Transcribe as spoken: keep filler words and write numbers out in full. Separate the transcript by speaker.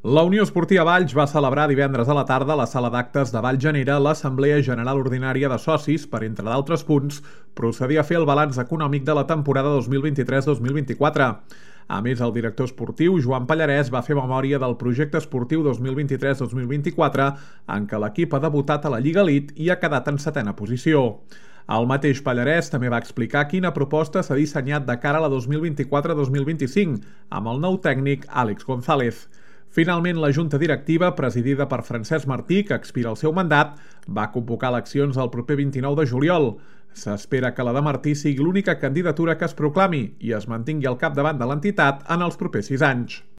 Speaker 1: La Unió Esportiva Valls va celebrar divendres a la tarda a la sala d'actes de Vallgenera l'Assemblea General Ordinària de Socis per, entre d'altres punts, procedir a fer el balanç econòmic de la temporada dos mil vint-i-tres dos mil vint-i-quatre. A més, el director esportiu, Joan Pallarès, va fer memòria del projecte esportiu dos mil vint-i-tres dos mil vint-i-quatre, en què l'equip ha debutat a la Lliga Elite i ha quedat en setena posició. El mateix Pallarès també va explicar quina proposta s'ha dissenyat de cara a la dos mil vint-i-quatre dos mil vint-i-cinc, amb el nou tècnic Àlex González. Finalment, la Junta Directiva, presidida per Francesc Martí, que expira el seu mandat, va convocar eleccions el proper vint-i-nou de juliol. S'espera que la de Martí sigui l'única candidatura que es proclami i es mantingui al capdavant de l'entitat en els propers sis anys.